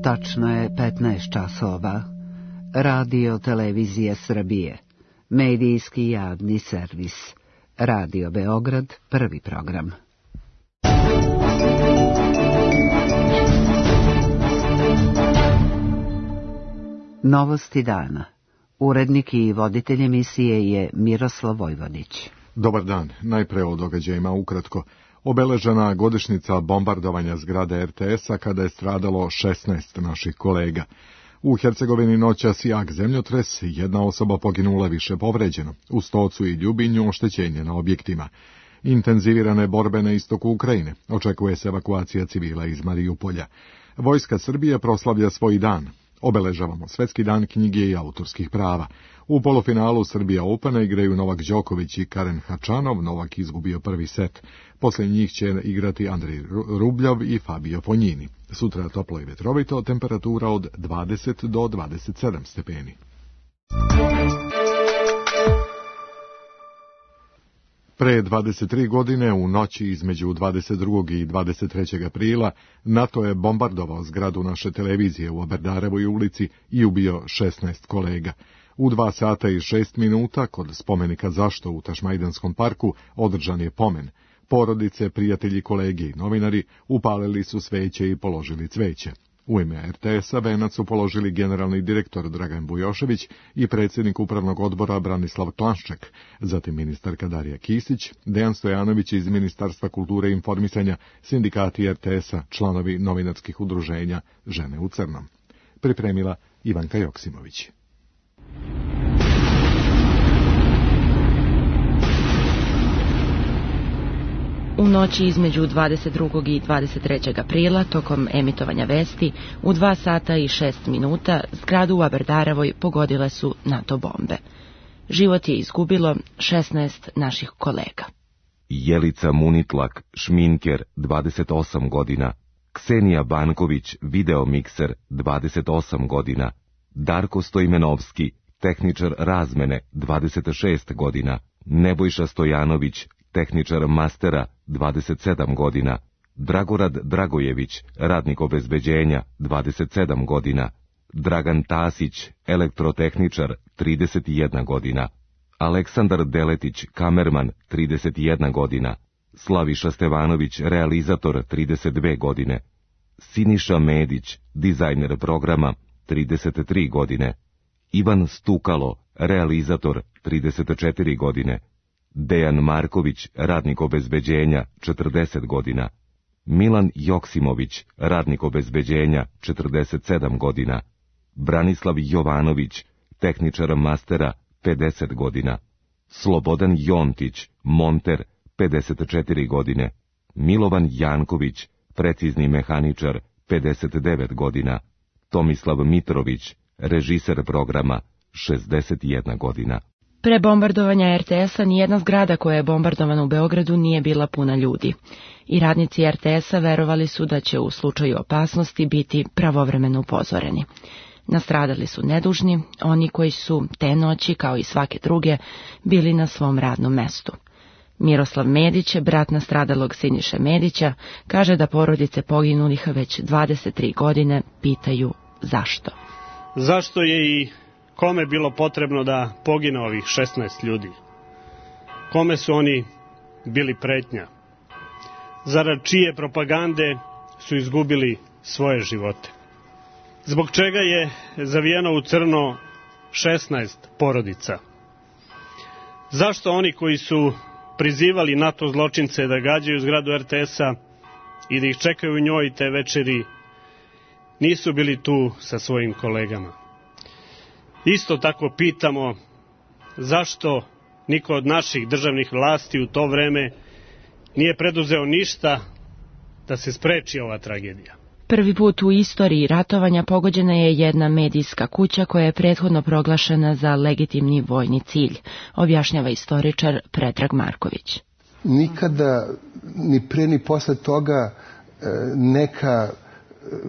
Tačno je 15 časova. Radio Televizija Srbije. Medijski javni servis. Radio Beograd, prvi program. Novosti dana. Urednik i voditelj emisije je Miroslav Vojvodić. Dobar dan. Najpre o događajima ukratko. Obeležena godišnjica bombardovanja zgrade RTS-a kada je stradalo 16 naših kolega. U Hercegovini noćas jak zemljotres, jedna osoba poginula, više povređeno. U Stocu i Ljubinju oštećenje na objektima. Intenzivirane borbe na istoku Ukrajine. Očekuje se evakuacija civila iz Marijupolja. Vojska Srbije proslavlja svoj dan. Obeležavamo Svetski dan knjige i autorskih prava. U polufinalu Srbija Opena igraju Novak Đoković i Karen Hačanov. Novak izgubio prvi set. Poslije njih će igrati Andrej Rubljov i Fabio Fognini. Sutra toplo i vetrovito, temperatura od 20 do 27 stepeni. Pre 23 godine, u noći između 22. i 23. aprila, NATO je bombardovao zgradu naše televizije u Oberdarevoj ulici i ubio 16 kolega. U 2 sata i 6 minuta, kod spomenika Zašto u Tašmajdanskom parku, održan je pomen. Porodice, prijatelji, kolege i novinari upalili su sveće i položili cveće. U ime RTS-a venac su položili generalni direktor Dragan Bujošević i predsjednik upravnog odbora Branislav Klanšček, zatim ministarka Darija Kisić, Dejan Stojanović iz Ministarstva kulture i informisanja, sindikati RTS-a, članovi novinarskih udruženja Žene u crnom. Pripremila Ivanka Joksimović. U noći između 22. i 23. aprila, tokom emitovanja vesti, u 2 sata i 6 minuta, zgradu u Aberdarevoj pogodile su NATO bombe. Život je izgubilo 16 naših kolega. Jelica Munitlak, šminker, 28 godina. Ksenija Banković, videomikser, 28 godina. Darko Stojmenovski, tehničar razmene, 26 godina. Nebojša Stojanović, tehničar mastera, 27 godina. Dragorad Dragojević, radnik obezbeđenja, 27 godina. Dragan Tasić, elektrotehničar, 31 godina. Aleksandar Deletić, kamerman, 31 godina. Slaviša Stevanović, realizator, 32 godine. Siniša Medić, dizajner programa, 33 godine. Ivan Stukalo, realizator, 34 godine. Dejan Marković, radnik obezbeđenja, 40 godina. Milan Joksimović, radnik obezbeđenja, 47 godina. Branislav Jovanović, tehničar mastera, 50 godina. Slobodan Jontić, monter, 54 godine. Milovan Janković, precizni mehaničar, 59 godina. Tomislav Mitrović, režiser programa, 61 godina. Pre bombardovanja RTS-a nijedna zgrada koja je bombardovana u Beogradu nije bila puna ljudi. I radnici RTS-a verovali su da će u slučaju opasnosti biti pravovremeno upozoreni. Nastradali su nedužni, oni koji su te noći, kao i svake druge, bili na svom radnom mestu. Miroslav Medić, brat nastradalog Siniše Medića, kaže da porodice poginulih već 23 godine pitaju zašto. Zašto je i kome bilo potrebno da pogine ovih 16 ljudi? Kome su oni bili pretnja? Zarad čije propagande su izgubili svoje živote? Zbog čega je zavijeno u crno 16 porodica? Zašto oni koji su prizivali NATO zločince da gađaju zgradu RTS-a i da ih čekaju u njoj te večeri nisu bili tu sa svojim kolegama? Isto tako pitamo zašto niko od naših državnih vlasti u to vreme nije preduzeo ništa da se spreči ova tragedija. Prvi put u istoriji ratovanja pogođena je jedna medijska kuća koja je prethodno proglašena za legitimni vojni cilj, objašnjava istoričar Predrag Marković. Nikada, ni pre ni posle toga, neka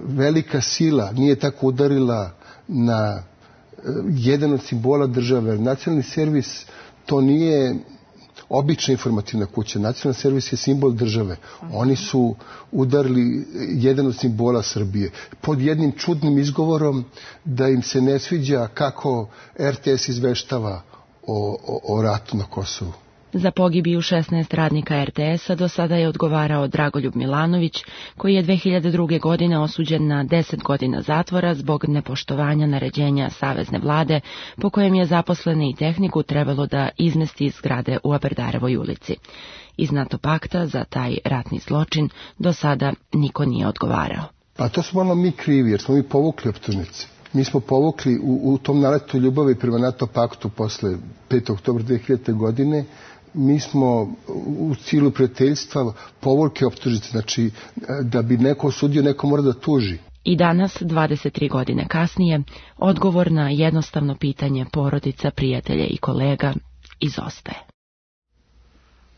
velika sila nije tako udarila na jedan od simbola države. Nacionalni servis to nije obična informativna kuća. Nacionalni servis je simbol države. Oni su udarili jedan od simbola Srbije pod jednim čudnim izgovorom da im se ne sviđa kako RTS izveštava o ratu na Kosovu. Za pogibiju 16 radnika RTS-a do sada je odgovarao Dragoljub Milanović, koji je 2002. godine osuđen na 10 godina zatvora zbog nepoštovanja naređenja Savezne vlade, po kojem je zaposlene i tehniku trebalo da izmesti iz zgrade u Aberdarevoj ulici. Iz NATO pakta za taj ratni zločin do sada niko nije odgovarao. Pa to smo malo mi krivi, jer smo mi povukli optužnice. Mi smo povukli u tom naletu ljubavi prema NATO paktu posle 5. oktobra 2000. godine, mi smo u cilju prijateljstva povukli optužnice, znači da bi neko osudio, neko mora da tuži. I danas, 23 godine kasnije, odgovor na jednostavno pitanje porodica, prijatelja i kolega izostaje.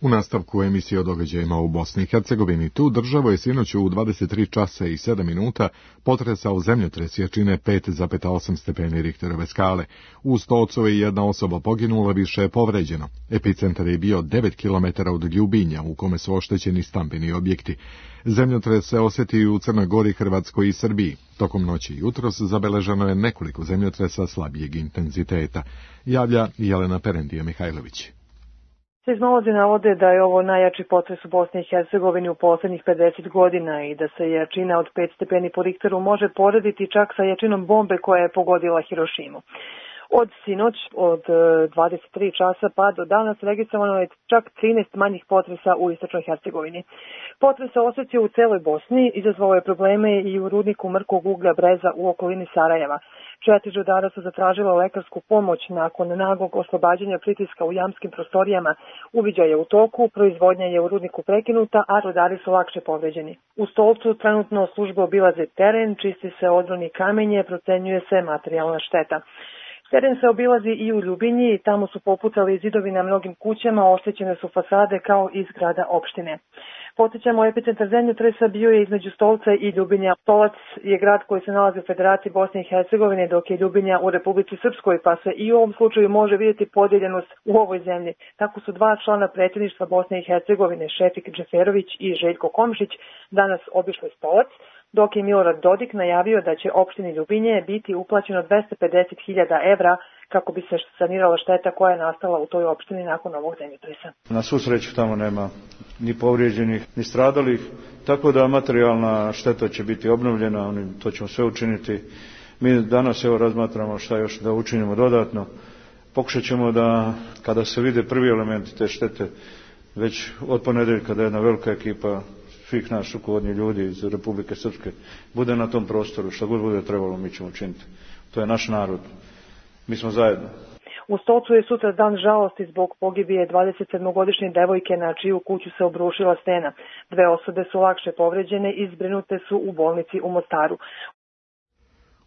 U nastavku emisije o događajima u Bosni i Hercegovini, tu državu je sinoć u 23 časa i 7 minuta potresao zemljotres jačine 5,8 stepeni Richterove skale. U Stolcu je jedna osoba poginula, više je povređeno. Epicentar je bio 9 km od Ljubinja, u kome su oštećeni stambeni objekti. Zemljotres se osjeti i u Crnoj Gori, Hrvatskoj i Srbiji. Tokom noći i jutros zabeleženo je nekoliko zemljotresa slabijeg intenziteta. Javlja Jelena Perendija-Mihajlović. Seizmolozi navode da je ovo najjači potres u Bosni i Hercegovini u poslednjih 50 godina i da se jačina od 5 stepeni po Richteru može porediti čak sa jačinom bombe koja je pogodila Hirošimu. Od sinoć, od 23 časa pa do danas registrovano je čak 13 manjih potresa u istočnoj Hercegovini. Potres se osjeća u celoj Bosni, izazvao je probleme i u rudniku mrkog uglja Breza u okolini Sarajeva. 4 rudara su zatražila lekarsku pomoć nakon naglog oslobađanja pritiska u jamskim prostorijama. Uviđaj je u toku, proizvodnja je u rudniku prekinuta, a rudari su lakše povređeni. U Stolcu trenutno službe obilaze teren, čisti se odroni kamenje, procenjuje se materijalna šteta. Teren se obilazi i u Ljubinji i tamo su popucali zidovi na mnogim kućama, oštećene su fasade kao i zgrada opštine. Podsjećamo, epicentar zemljotresa bio je između Stolca i Ljubinja. Stolac je grad koji se nalazi u Federaciji Bosne i Hercegovine, dok je Ljubinja u Republici Srpskoj, pa se i u ovom slučaju može vidjeti podijeljenost u ovoj zemlji. Tako su 2 člana predsjedništva Bosne i Hercegovine, Šefik Džeferović i Željko Komšić, danas obišli Stolac, dok je Milorad Dodik najavio da će opštini Ljubinje biti uplaćeno 250.000 evra kako bi se sanirala šteta koja je nastala u toj opštini nakon ovog zemljotresa. Na svu sreću tamo nema ni povrijeđenih, ni stradalih, tako da materijalna šteta će biti obnovljena, to ćemo sve učiniti. Mi danas razmatramo šta još da učinimo dodatno. Pokušat ćemo da, kada se vide prvi elementi te štete, već od ponedjeljka da jedna velika ekipa svih nas rukovodnih ljudi iz Republike Srpske bude na tom prostoru, što god bude trebalo mi ćemo učiniti. To je naš narod. Mi smo zajedno. U Stolcu je sutra dan žalosti zbog pogibije 27-godišnje devojke na čiju kuću se obrušila stena. 2 osobe su lakše povređene i zbrinute su u bolnici u Mostaru.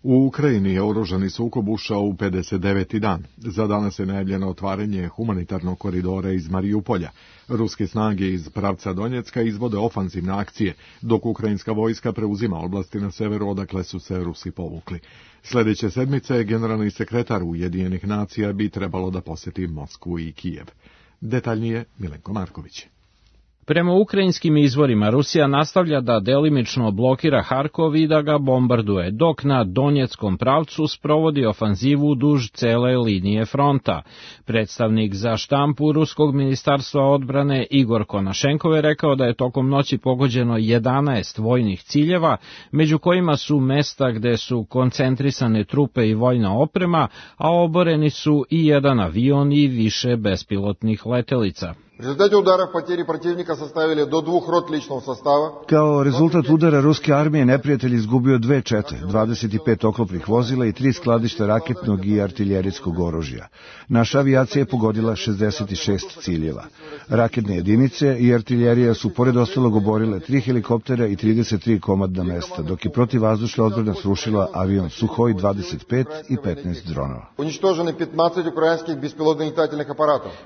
U Ukrajini je oružani sukob ušao u 59. dan. Za danas je najavljeno otvaranje humanitarnog koridora iz Marijupolja. Ruske snage iz pravca Donjecka izvode ofanzivne akcije, dok ukrajinska vojska preuzima oblasti na severu odakle su se Rusi povukli. Sljedeće sedmice generalni sekretar Ujedinjenih nacija bi trebalo da posjeti Moskvu i Kijev. Detaljnije Milenko Marković. Prema ukrajinskim izvorima, Rusija nastavlja da delimično blokira Harkov i da ga bombarduje, dok na Donjeckom pravcu sprovodi ofanzivu duž cele linije fronta. Predstavnik za štampu Ruskog ministarstva odbrane Igor Konašenkov je rekao da je tokom noći pogođeno 11 vojnih ciljeva, među kojima su mesta gde su koncentrisane trupe i vojna oprema, a oboreni su i jedan avion i više bespilotnih letelica. Kao rezultat udara ruske armije neprijatelj izgubio 2 čete, 25 oklopnih vozila i 3 skladišta raketnog i artiljerijskog oružja. Naša avijacija je pogodila 66 ciljeva. Raketne jedinice i artiljerija su pored ostalog oborile 3 helikoptera i 33 komadna mesta, dok je protivvazdušna odbrana srušila avion Suhoj 25 i 15 dronova.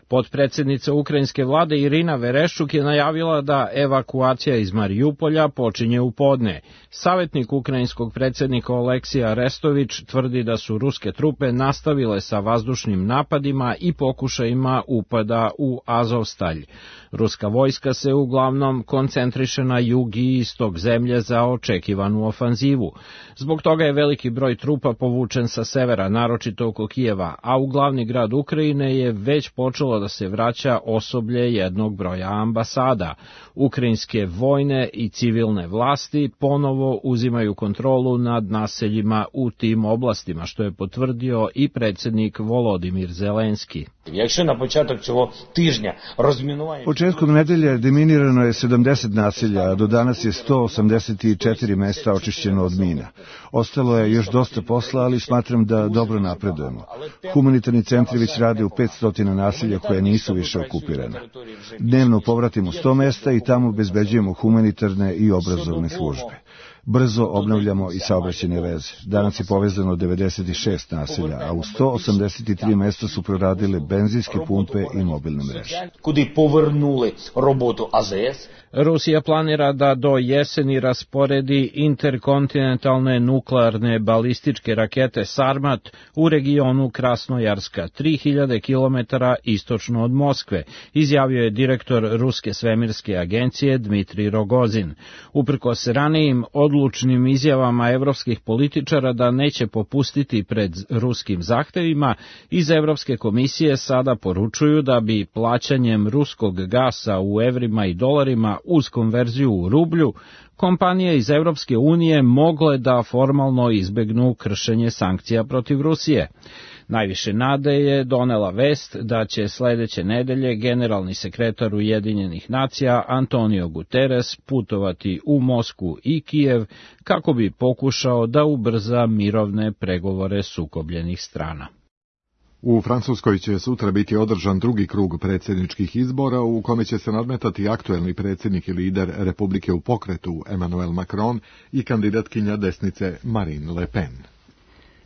Potpredsednica ukrajinske ukrajinske vlade Irina Vereščuk je najavila da evakuacija iz Marijupolja počinje u podne. Savjetnik ukrajinskog predsjednika Oleksija Arestović tvrdi da su ruske trupe nastavile sa vazdušnim napadima i pokušajima upada u Azovstalj. Ruska vojska se uglavnom koncentriše na jug i istok zemlje za očekivanu ofanzivu. Zbog toga je veliki broj trupa povučen sa severa, naročito oko Kijeva, a u glavni grad Ukrajine je već počelo da se vraća osoblje jednog broja ambasada. Ukrajinske vojne i civilne vlasti ponovo uzimaju kontrolu nad naseljima u tim oblastima, što je potvrdio i predsjednik Volodimir Zelenski. Početkom nedelje deminirano je 70 naselja, a do danas je 184 mesta očišćeno od mina. Ostalo je još dosta posla, ali smatram da dobro napredujemo. Humanitarni centri već rade u 500 naselja koje nisu više okupirane. Dnevno povratimo 100 mesta i tamo obezbeđujemo humanitarne i obrazovne službe. Brzo obnavljamo i saobraćajne veze. Danas je povezano 96 naselja, a u 183 mesta su proradile benzinske pumpe i mobilne mreže. Rusija planira da do jeseni rasporedi interkontinentalne nuklearne balističke rakete Sarmat u regionu Krasnojarska, 3000 km istočno od Moskve, izjavio je direktor Ruske svemirske agencije Dmitrij Rogozin. Uprkos ranijim odlučnim izjavama evropskih političara da neće popustiti pred ruskim zahtevima, iz Evropske komisije sada poručuju da bi plaćanjem ruskog gasa u evrima i dolarima uz konverziju u rublju, kompanije iz Evropske unije mogle da formalno izbegnu kršenje sankcija protiv Rusije. Najviše nade je donela vest da će sledeće nedelje generalni sekretar Ujedinjenih nacija Antonio Guterres putovati u Moskvu i Kijev kako bi pokušao da ubrza mirovne pregovore sukobljenih strana. U Francuskoj će sutra biti održan drugi krug predsjedničkih izbora u kome će se nadmetati aktuelni predsjednik i lider Republike u pokretu Emmanuel Macron i kandidatkinja desnice Marine Le Pen.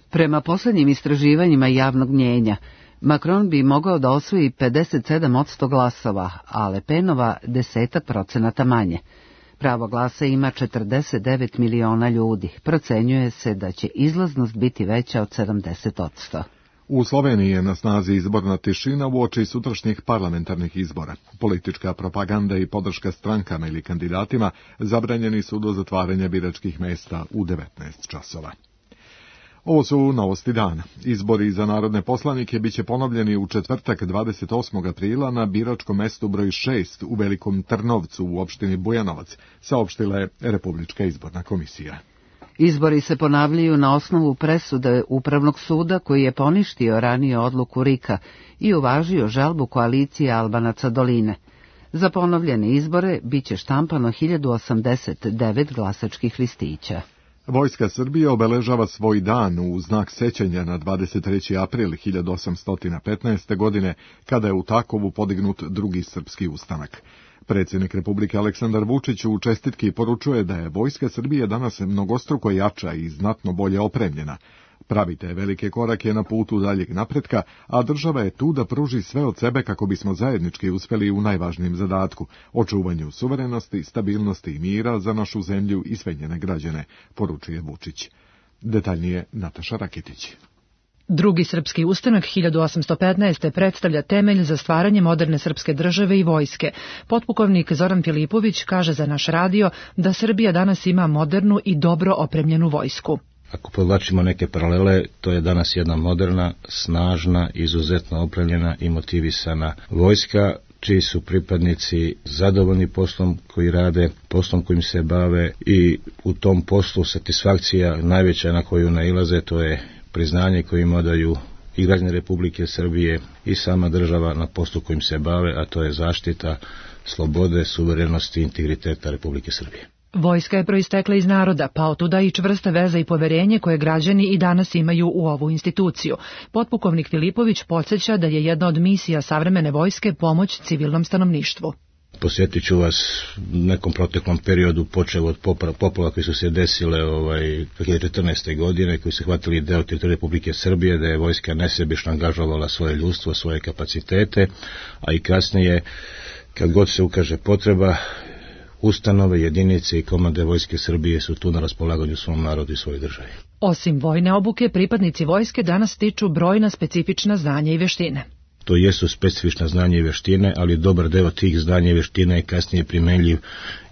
Prema posljednjim istraživanjima javnog mnjenja, Macron bi mogao da osvoji 57% glasova, a Le Penova 10% manje. Pravo glasa ima 49 miliona ljudi. Procenjuje se da će izlaznost biti veća od 70%. U Sloveniji je na snazi izborna tišina uoči sutrašnjih parlamentarnih izbora. Politička propaganda i podrška strankama ili kandidatima zabranjeni su do zatvaranja biračkih mesta u 19 časova. Ovo su novosti dana. Izbori za narodne poslanike biće ponovljeni u četvrtak 28. aprila na biračkom mestu broj 6 u Velikom Trnovcu u opštini Bujanovac, saopštila je Republička izborna komisija. Izbori se ponavljaju na osnovu presude Upravnog suda koji je poništio ranije odluku RIK-a i uvažio žalbu koalicije Albanaca Doline. Za ponovljene izbore biće štampano 1089 glasačkih listića. Vojska Srbije obeležava svoj dan u znak sećanja na 23. april 1815. godine, kada je u Takovu podignut drugi srpski ustanak. Predsjednik Republike Aleksandar Vučić u čestitki poručuje da je Vojska Srbije danas mnogostruko jača i znatno bolje opremljena. Pravite velike korake na putu daljeg napretka, a država je tu da pruži sve od sebe kako bismo zajednički uspjeli u najvažnijem zadatku, očuvanju suverenosti, stabilnosti i mira za našu zemlju i sve njene građane, poručuje Vučić. Detaljnije Nataša Rakitić. Drugi srpski ustanak 1815. predstavlja temelj za stvaranje moderne srpske države i vojske. Potpukovnik Zoran Filipović kaže za naš radio da Srbija danas ima modernu i dobro opremljenu vojsku. Ako podvlačimo neke paralele, to je danas jedna moderna, snažna, izuzetno opremljena i motivisana vojska, čiji su pripadnici zadovoljni poslom koji rade, poslom kojim se bave i u tom poslu satisfakcija najveća na koju nailaze, to je priznanje koje im odaju i građani Republike Srbije i sama država na poslu kojim se bave, a to je zaštita slobode, suverenosti i integriteta Republike Srbije. Vojska je proistekla iz naroda, pa otuda i čvrsta veza i poverenje koje građani i danas imaju u ovu instituciju. Potpukovnik Filipović podsjeća da je jedna od misija savremene vojske pomoć civilnom stanovništvu. Posjetit ću vas nekom proteklom periodu, počeo od poplava koji su se desile 2014. godine, koji su hvatili deo teritorije Republike Srbije, da je vojska nesebično angažovala svoje ljudstvo, svoje kapacitete, a i kasnije, kad god se ukaže potreba, ustanove, jedinice i komande Vojske Srbije su tu na raspolaganju svom narodu i svojoj državi. Osim vojne obuke, pripadnici vojske danas stiču brojna specifična znanja i veštine. To jesu specifična znanja i veštine, ali dobar deo tih znanja i veština je kasnije primenljiv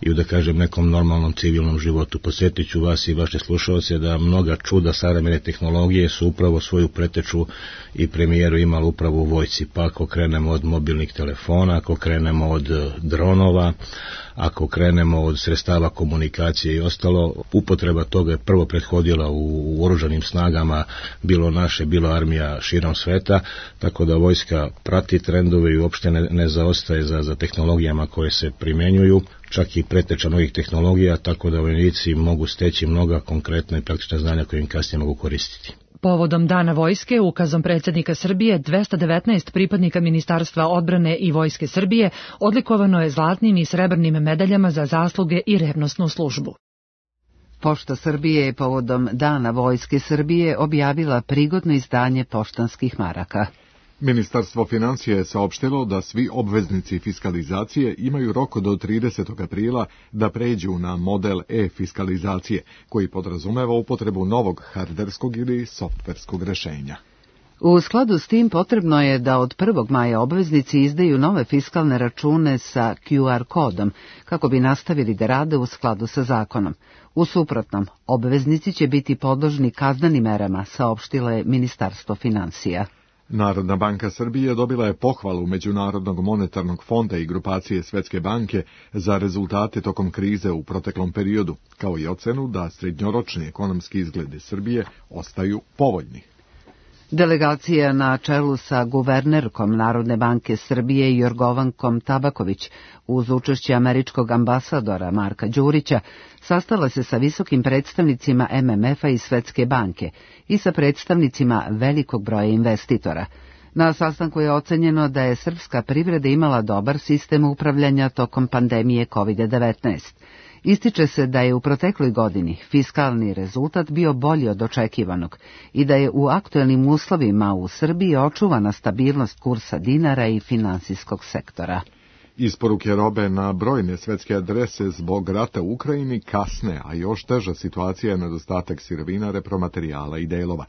i u, da kažem, nekom normalnom civilnom životu. Posjetit ću vas i vaše slušalce da mnoga čuda savremene tehnologije su upravo svoju preteču i premijeru imali upravo u vojsci. Pa ako krenemo od mobilnih telefona, ako krenemo od dronova, ako krenemo od sredstava komunikacije i ostalo, upotreba toga je prvo prethodila u oružanim snagama, bilo naše, bilo armija širom sveta, tako da vojska prati trendove i uopšte ne zaostaje za tehnologijama koje se primjenjuju, čak i preteča novih tehnologija, tako da vojnici mogu steći mnoga konkretna i praktična znanja koje im kasnije mogu koristiti. Povodom Dana vojske, ukazom predsjednika Srbije, 219 pripadnika Ministarstva odbrane i Vojske Srbije odlikovano je zlatnim i srebrnim medaljama za zasluge i revnosnu službu. Pošta Srbije je povodom Dana vojske Srbije objavila prigodno izdanje poštanskih maraka. Ministarstvo financija je saopštilo da svi obveznici fiskalizacije imaju rok do 30. aprila da pređu na model e-fiskalizacije, koji podrazumeva upotrebu novog hardverskog ili softverskog rešenja. U skladu s tim potrebno je da od 1. maja obveznici izdaju nove fiskalne račune sa QR kodom, kako bi nastavili da rade u skladu sa zakonom. U suprotnom, obveznici će biti podložni kaznenim merama, saopštilo je Ministarstvo financija. Narodna banka Srbije dobila je pohvalu Međunarodnog monetarnog fonda i grupacije Svetske banke za rezultate tokom krize u proteklom periodu, kao i ocenu da srednjoročni ekonomski izgledi Srbije ostaju povoljni. Delegacija na čelu sa guvernerkom Narodne banke Srbije Jorgovankom Tabaković uz učešće američkog ambasadora Marka Đurića sastala se sa visokim predstavnicima MMF-a i Svetske banke i sa predstavnicima velikog broja investitora. Na sastanku je ocenjeno da je srpska privreda imala dobar sistem upravljanja tokom pandemije COVID-19. Ističe se da je u protekloj godini fiskalni rezultat bio bolji od očekivanog i da je u aktuelnim uslovima u Srbiji očuvana stabilnost kursa dinara i finansijskog sektora. Isporuke robe na brojne svetske adrese zbog rata u Ukrajini kasne, a još teža situacija je nedostatak sirovina, repromaterijala i delova.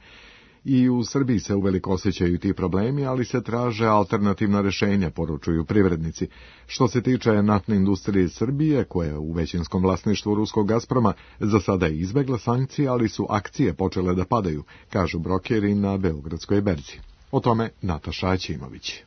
I u Srbiji se uveliko osjećaju ti problemi, ali se traže alternativna rešenja, poručuju privrednici. Što se tiče naftne industrije Srbije, koja je u većinskom vlasništvu ruskog Gazproma, za sada je izbegla sankcije, ali su akcije počele da padaju, kažu brokeri na Beogradskoj berzi. O tome Nataša Aćimović.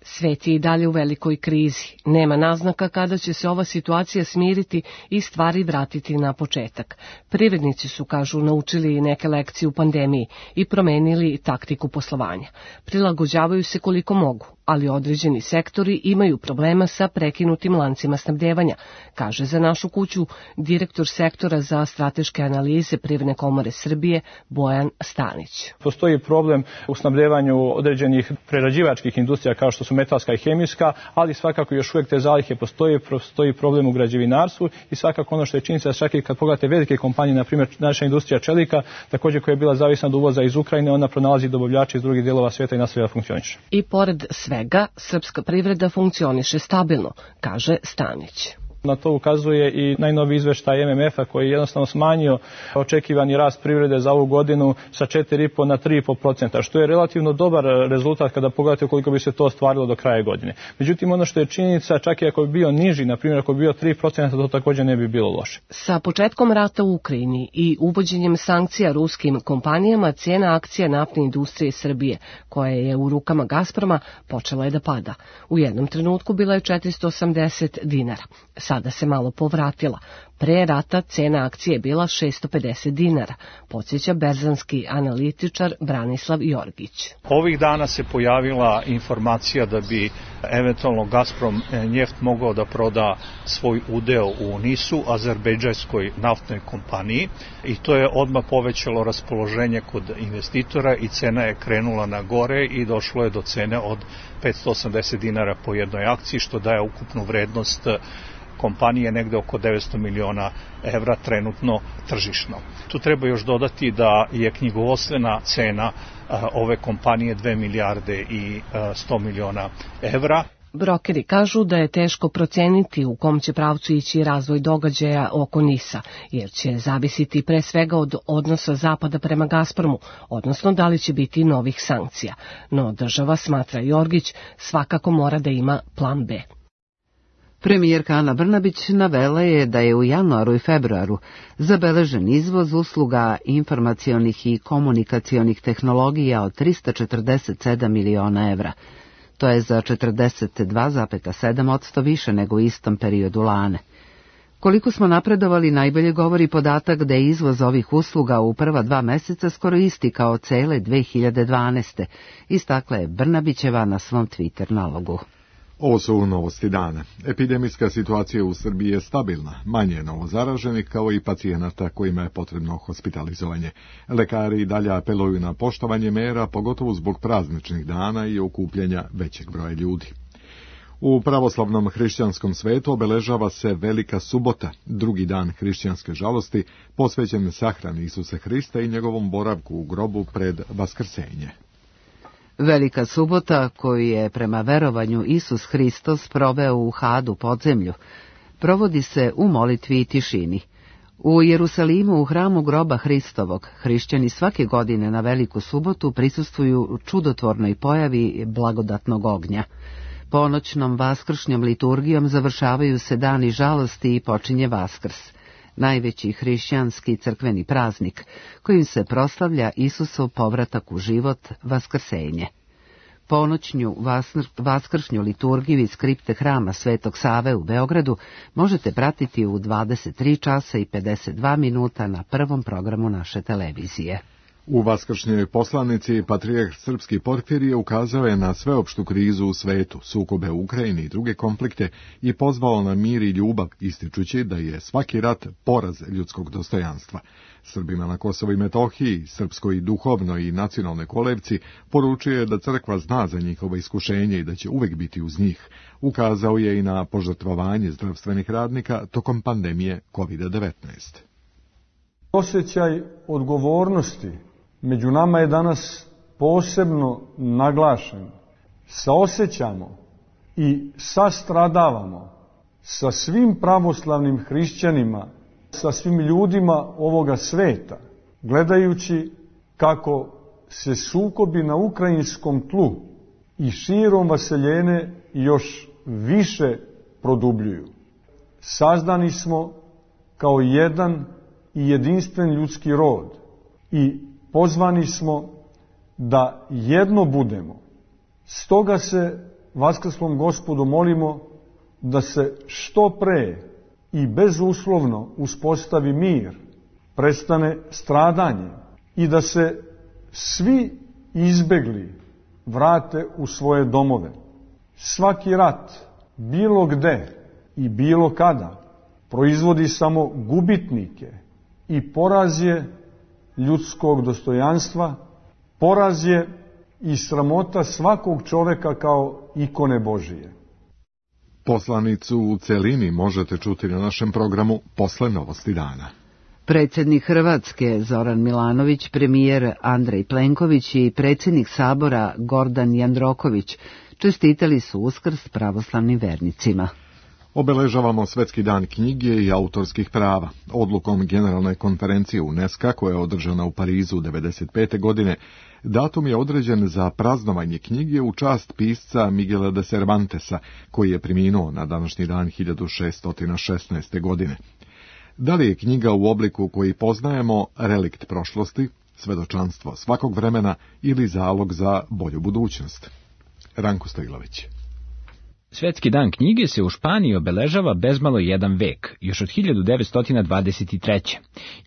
Svet je i dalje u velikoj krizi. Nema naznaka kada će se ova situacija smiriti i stvari vratiti na početak. Privrednici su, kažu, naučili neke lekcije u pandemiji i promenili taktiku poslovanja. Prilagođavaju se koliko mogu, ali određeni sektori imaju problema sa prekinutim lancima snabdevanja, kaže za našu kuću direktor sektora za strateške analize Privredne komore Srbije Bojan Stanić. Postoji problem u snabdevanju određenih prerađivačkih industrija kao što su metalska i hemijska, ali svakako još uvijek te zalihe postoji problem u građevinarstvu i svakako ono što je činjenica, čak i kad pogledate velike kompanije, na primjer naša industrija čelika, također koja je bila zavisna od uvoza iz Ukrajine, ona pronalazi dobavljače iz drugih dijelova svijeta i nastavlja da funkcioniše. I pored svega, srpska privreda funkcioniše stabilno, kaže Stanić. Na to ukazuje i najnoviji izveštaj MMF-a koji je jednostavno smanjio očekivani rast privrede za ovu godinu sa 4,5 na 3,5%, što je relativno dobar rezultat kada pogledate koliko bi se to ostvarilo do kraja godine. Međutim, ono što je činjenica, čak i ako bi bio niži, na primjer ako bi bio 3%, to također ne bi bilo loše. Sa početkom rata u Ukrajini i uvođenjem sankcija ruskim kompanijama, cijena akcija naftne industrije Srbije, koja je u rukama Gazproma, počela je da pada. U jednom trenutku bila je 480 dinara. Sada se malo povratila. Pre rata cena akcije je bila 650 dinara, podsjeća berzanski analitičar Branislav Jorgić. Ovih dana se pojavila informacija da bi eventualno Gazprom Njeft mogao da proda svoj udeo u NIS-u, azerbejdžanskoj naftnoj kompaniji, i to je odmah povećalo raspoloženje kod investitora i cena je krenula na gore i došlo je do cene od 580 dinara po jednoj akciji, što daje ukupnu vrednost kompanije negde oko 900 miliona evra trenutno tržišno. Tu treba još dodati da je knjigovodstvena cena ove kompanije 2 milijarde i 100 miliona evra. Brokeri kažu da je teško proceniti u kom će pravcu ići razvoj događaja oko NIS-a, jer će zavisiti pre svega od odnosa Zapada prema Gazpromu, odnosno da li će biti novih sankcija. No država, smatra Jorgić, svakako mora da ima plan B. Premijerka Ana Brnabić navela je da je u januaru i februaru zabeležen izvoz usluga informacionih i komunikacionih tehnologija od 347 miliona evra. To je za 42,7% više nego u istom periodu lane. Koliko smo napredovali najbolje govori podatak da je izvoz ovih usluga u prva 2 meseca skoro isti kao cele 2012. Istakla je Brnabićeva na svom Twitter nalogu. Ovo su novosti dana. Epidemijska situacija u Srbiji je stabilna, manje je novozaraženih kao i pacijenata kojima je potrebno hospitalizovanje. Lekari i dalje apeluju na poštovanje mera, pogotovo zbog prazničnih dana i okupljanja većeg broja ljudi. U pravoslavnom hrišćanskom svetu obeležava se Velika subota, drugi dan hrišćanske žalosti, posvećen sahrani Isusa Hrista i njegovom boravku u grobu pred vaskrsenje. Velika subota, koju je prema verovanju Isus Hristos proveo u Hadu podzemlju, provodi se u molitvi i tišini. U Jerusalimu, u hramu groba Hristovog, hrišćani svake godine na Veliku subotu prisustvuju čudotvornoj pojavi blagodatnog ognja. Ponoćnom vaskršnjom liturgijom završavaju se dani žalosti i počinje Vaskrs, najveći hrišćanski crkveni praznik, kojim se proslavlja Isusov povratak u život, vaskrsenje. Ponoćnju vaskršnju liturgiju iz kripte hrama Svetog Save u Beogradu možete pratiti u 23 časa i 52 minuta na prvom programu naše televizije. U vaskršnjoj poslanici patrijarh srpski Porfirije ukazao je na sveopštu krizu u svetu, sukobe u Ukrajini i druge konflikte i pozvao na mir i ljubav, ističući da je svaki rat poraz ljudskog dostojanstva. Srbima na Kosovu i Metohiji, srpskoj duhovnoj i nacionalnoj kolevci, poručuje da crkva zna za njihovo iskušenje i da će uvek biti uz njih. Ukazao je i na požrtvovanje zdravstvenih radnika tokom pandemije COVID-19. Osjećaj odgovornosti među nama je danas posebno naglašen. Saosećamo i sastradavamo sa svim pravoslavnim hrišćanima, sa svim ljudima ovoga sveta, gledajući kako se sukobi na ukrajinskom tlu i širom vaseljene još više produbljuju. Sazdani smo kao jedan i jedinstven ljudski rod i pozvani smo da jedno budemo. Stoga se Vaskrslom Gospodu molimo da se što pre i bezuslovno uspostavi mir, prestane stradanje i da se svi izbegli vrate u svoje domove. Svaki rat, bilo gde i bilo kada, proizvodi samo gubitnike i poraz je ljudskog dostojanstva, poraz je i sramota svakog čoveka kao ikone Božije. Poslanicu u celini možete čuti na našem programu posle novosti dana. Predsjednik Hrvatske Zoran Milanović, premijer Andrej Plenković i predsjednik Sabora Gordan Jandroković čestitali su Uskrs pravoslavnim vernicima. Obeležavamo Svetski dan knjige i autorskih prava. Odlukom Generalne konferencije UNESCO, koja je održana u Parizu 1995. godine, datum je određen za praznovanje knjige u čast pisca Miguela de Cervantesa, koji je preminuo na današnji dan 1616. godine. Da li je knjiga u obliku koji poznajemo relikt prošlosti, svedočanstvo svakog vremena ili zalog za bolju budućnost? Ranko Stojlović. Svetski dan knjige se u Španiji obeležava bezmalo jedan vek, još od 1923.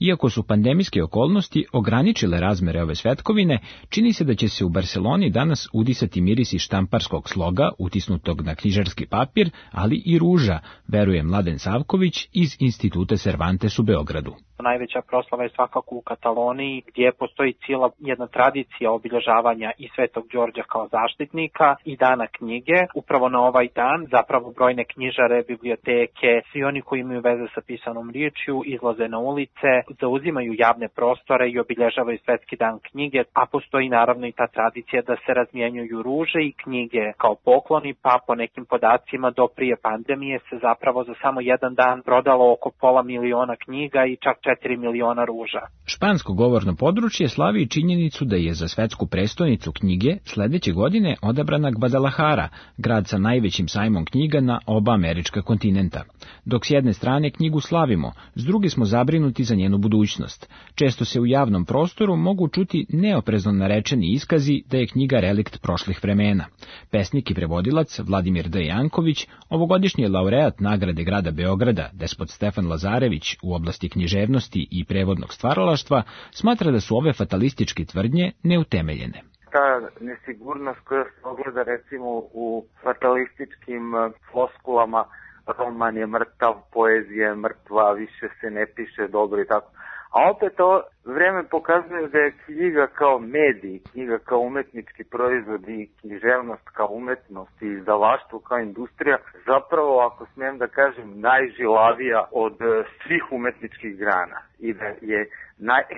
Iako su pandemijske okolnosti ograničile razmere ove svetkovine, čini se da će se u Barseloni danas udisati mirisi štamparskog sloga, utisnutog na knjižarski papir, ali i ruža, veruje Mladen Savković iz Instituta Cervantes u Beogradu. Najveća proslava je svakako u Kataloniji, gdje postoji cijela jedna tradicija obilježavanja i Svetog Đorđa kao zaštitnika i Dana knjige. Upravo na ovaj dan zapravo brojne knjižare, biblioteke, svi oni koji imaju veze sa pisanom riječju izlaze na ulice, zauzimaju javne prostore i obilježavaju Svetski dan knjige, a postoji naravno i ta tradicija da se razmjenjuju ruže i knjige kao pokloni, pa po nekim podacima do prije pandemije se zapravo za samo jedan dan prodalo oko 500.000 knjiga i čak 4 miliona ruža. Špansko govorno područje slavi činjenicu da je za svetsku prestonicu knjige sledeće godine odabrana Guadalajara, grad sa najvećim sajmom knjiga na oba američka kontinenta. Dok s jedne strane knjigu slavimo, s druge smo zabrinuti za njenu budućnost. Često se u javnom prostoru mogu čuti neoprezno narečeni iskazi da je knjiga relikt prošlih vremena. Pesnik i prevodilac Vladimir D. Janković, ovogodišnji laureat nagrade grada Beograda, despot Stefan Lazarević u oblasti književnosti i prevodnog stvaralaštva, smatra da su ove fatalističke tvrdnje neutemeljene. Ta nesigurnost koja se ogleda recimo u fatalističkim floskulama, roman je mrtav, poezija je mrtva, više se ne piše dobro i tako. A opet to vreme pokazuje da je knjiga kao medij, knjiga kao umetnički proizvod i književnost kao umetnost i izdavaštvo kao industrija zapravo, ako smijem da kažem, najžilavija od svih umetničkih grana i da je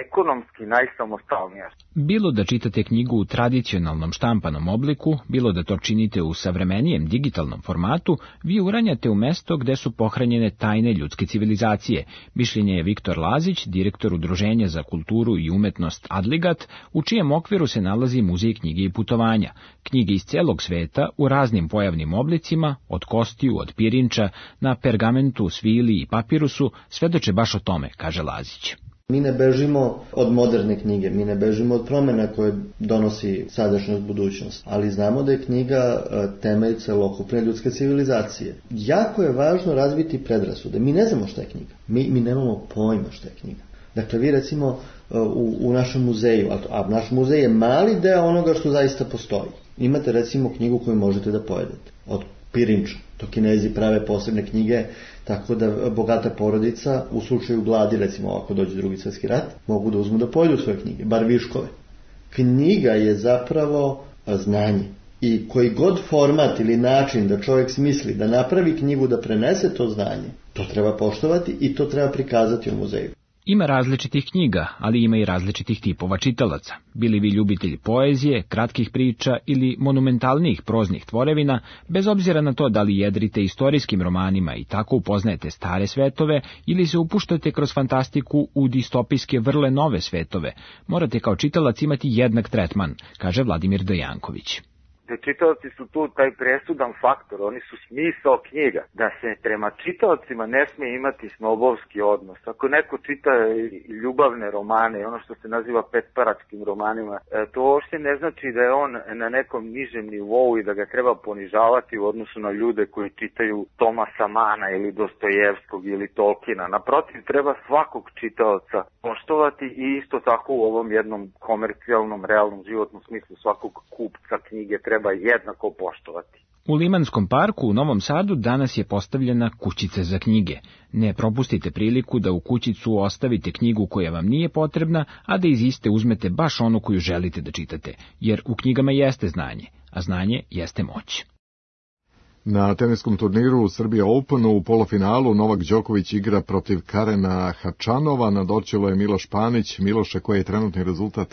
ekonomski najsamostalnija. Bilo da čitate knjigu u tradicionalnom štampanom obliku, bilo da to činite u savremenijem digitalnom formatu, vi uranjate u mesto gde su pohranjene tajne ljudske civilizacije. Mišljenje je Viktor Lazić, direktor Udruženja za kulturu i umetnost Adligat, u čijem okviru se nalazi Muzej knjige i putovanja. Knjige iz celog sveta u raznim pojavnim oblicima, od kostiju, od pirinča, na pergamentu, svili i papirusu, svedoče baš o tome, kaže Lazić. Mi ne bežimo od moderne knjige, mi ne bežimo od promjena koje donosi sadašnjost, budućnost, ali znamo da je knjiga temelj celokupne ljudske civilizacije. Jako je važno razviti predrasude. Mi ne znamo šta je knjiga. Mi nemamo pojma šta je knjiga. Dakle, vi recimo u našem muzeju, a naš muzej je mali deo onoga što zaista postoji. Imate recimo knjigu koju možete da pojedete. Od pirinča. To Kinezi prave posebne knjige, tako da bogata porodica u slučaju gladi, recimo ako dođe Drugi svjetski rat, mogu da uzmu da pojedu svoje knjige, bar viškove. Knjiga je zapravo znanje. I koji god format ili način da čovjek smisli da napravi knjigu, da prenese to znanje, to treba poštovati i to treba prikazati u muzeju. Ima različitih knjiga, ali ima i različitih tipova čitalaca. Bili vi ljubitelji poezije, kratkih priča ili monumentalnijih proznih tvorevina, bez obzira na to da li jedrite istorijskim romanima i tako upoznajete stare svetove ili se upuštate kroz fantastiku u distopijske vrle nove svetove, morate kao čitalac imati jednak tretman, kaže Vladimir D. Janković. Da čitaoci su tu taj presudan faktor, oni su smisao knjiga, da se prema čitaocima ne smije imati snobovski odnos. Ako neko čita ljubavne romane, ono što se naziva petparačkim romanima, to uopšte ne znači da je on na nekom nižem nivou i da ga treba ponižavati u odnosu na ljude koji čitaju Tomasa Mana ili Dostojevskog ili Tolkiena. Naprotiv, treba svakog čitaoca poštovati i isto tako u ovom jednom komercijalnom, realnom životnom smislu svakog kupca knjige treba jednako poštovati. U Limanskom parku u Novom Sadu danas je postavljena kućica za knjige. Ne propustite priliku da u kućicu ostavite knjigu koja vam nije potrebna, a da iz iste uzmete baš onu koju želite da čitate, jer u knjigama jeste znanje, a znanje jeste moć. Na teniskom turniru Srbija Openu u polufinalu Novak Đoković igra protiv Karena Hačanova, na dorčelu je Miloš Panić. Miloše, koji je trenutni rezultat?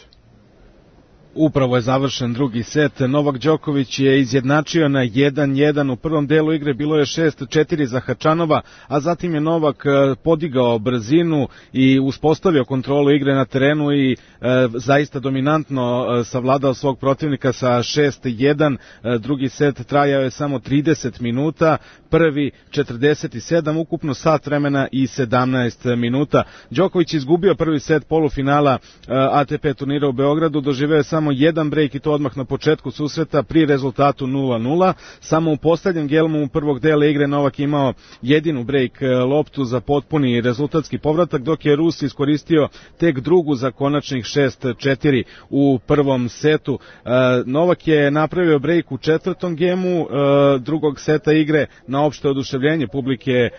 Upravo je završen drugi set. Novak Đoković je izjednačio na 1-1. U prvom delu igre bilo je 6-4 za Hačanova, a zatim je Novak podigao brzinu i uspostavio kontrolu igre na terenu i zaista dominantno savladao svog protivnika sa 6-1. Drugi set trajao je samo 30 minuta, prvi 47, ukupno sat vremena i 17 minuta. Đoković izgubio prvi set polufinala ATP turnira u Beogradu, doživeo je samo samo jedan brejk i to odmah na početku susreta pri rezultatu 0-0. Samo u poslednjem gelomu prvog dela igre Novak imao jedinu brejk loptu za potpuni rezultatski povratak, dok je Rus iskoristio tek drugu za konačnih 6-4 u prvom setu. Novak je napravio brejk u četvrtom gemu drugog seta igre na opšte oduševljenje publike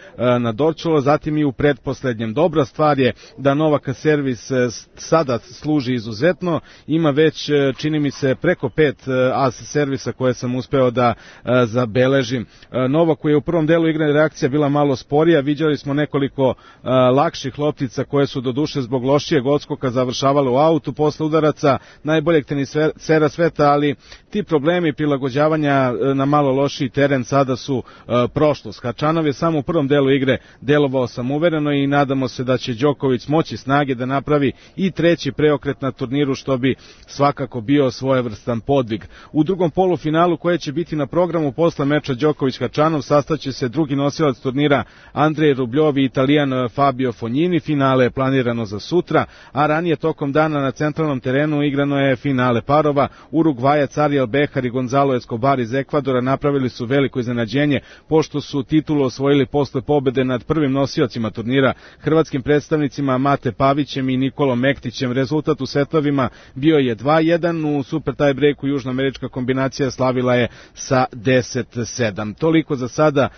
na Dorčolo, zatim i u predposlednjem. Dobra stvar je da Novaka servis sada služi izuzetno, ima već, čini mi se, preko 5 as servisa koje sam uspeo da zabeležim. Novaku je u prvom delu igre reakcija bila malo sporija, viđali smo nekoliko lakših loptica koje su do duše zbog lošijeg odskoka završavale u autu posle udaraca najboljeg tenisera sveta, ali ti problemi prilagođavanja na malo lošiji teren sada su prošlost. Hačanov je samo u prvom delu igre delovao samouvereno i nadamo se da će Đoković moći snage da napravi i treći preokret na turniru, što bi svakako bio svojevrstan podvig. U drugom polufinalu koje će biti na programu posle meča Đoković-Hačanov sastaće se drugi nosilac turnira Andrej Rubljov i Italijan Fabio Fognini. Finale je planirano za sutra, a ranije tokom dana na centralnom terenu igrano je finale parova. Urugvajac Ariel Behar i Gonzalo Escobar iz Ekvadora napravili su veliko iznenađenje pošto su titulu osvojili posle pobede nad prvim nosiocima turnira, hrvatskim predstavnicima Mate Pavićem i Nikolom Mektićem. Rezultat u setovima bio je 2-1, u super tie breaku južnoamerička kombinacija slavila je sa 10-7. Toliko za sada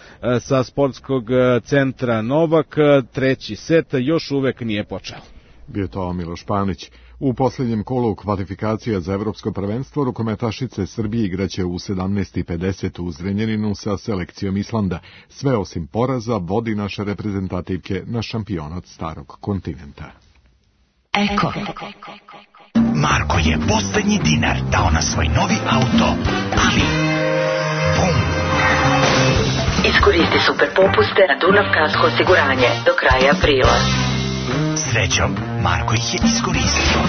sa sportskog centra Novak. Treći set još uvek nije počeo. Bio to Miloš Panić. U posljednjem kolu kvalifikacija za evropsko prvenstvo rukometašice Srbije igraće u 17:50 u Zrenjaninu sa selekcijom Islanda. Sve osim poraza vodi naše reprezentativke na šampionat starog kontinenta. Eko. Marko je poslednji dinar dao na svoj novi auto, ali bum! Iskoristi super popuste na Dunav Kasko osiguranje do kraja aprila. Srećom, Marko ih je iskoristio.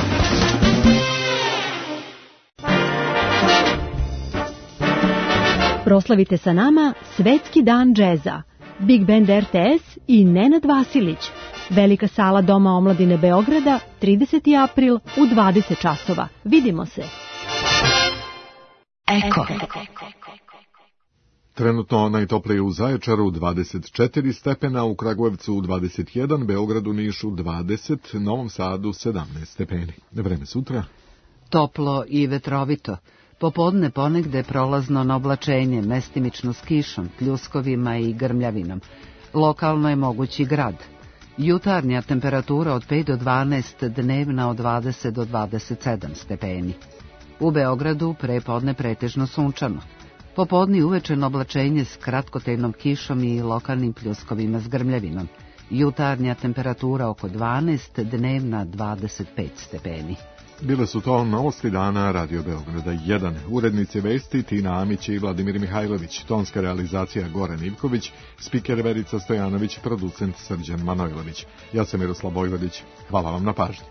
Proslavite sa nama Svetski dan džeza. Big Band RTS i Nenad Vasilić. Velika sala Doma omladine Beograda, 30. april u 20 časova. Vidimo se. Eko. Trenutno najtoplije u Zaječaru 24 stepena, u Kragujevcu 21, Beogradu, Nišu 20, Novom Sadu 17 stepeni. Vreme sutra? Toplo i vetrovito. Popodne ponegde prolazno na oblačenje, mestimično s kišom, pljuskovima i grmljavinom. Lokalno je mogući grad. Jutarnja temperatura od 5 do 12, dnevna od 20 do 27 stepeni. U Beogradu prepodne pretežno sunčano. Popodne uvečeno oblačenje s kratkotrajnom kišom i lokalnim pljuskovima s grmljavinom. Jutarnja temperatura oko 12, dnevna 25 stepeni. Bile su to novosti dana Radio Beograda 1. Urednici vesti Tina Amić i Vladimir Mihajlović, tonska realizacija Goran Ivković, spiker Verica Stojanović, producent Srđan Manojlović. Ja sam Miroslav Bojvodić. Hvala vam na pažnji.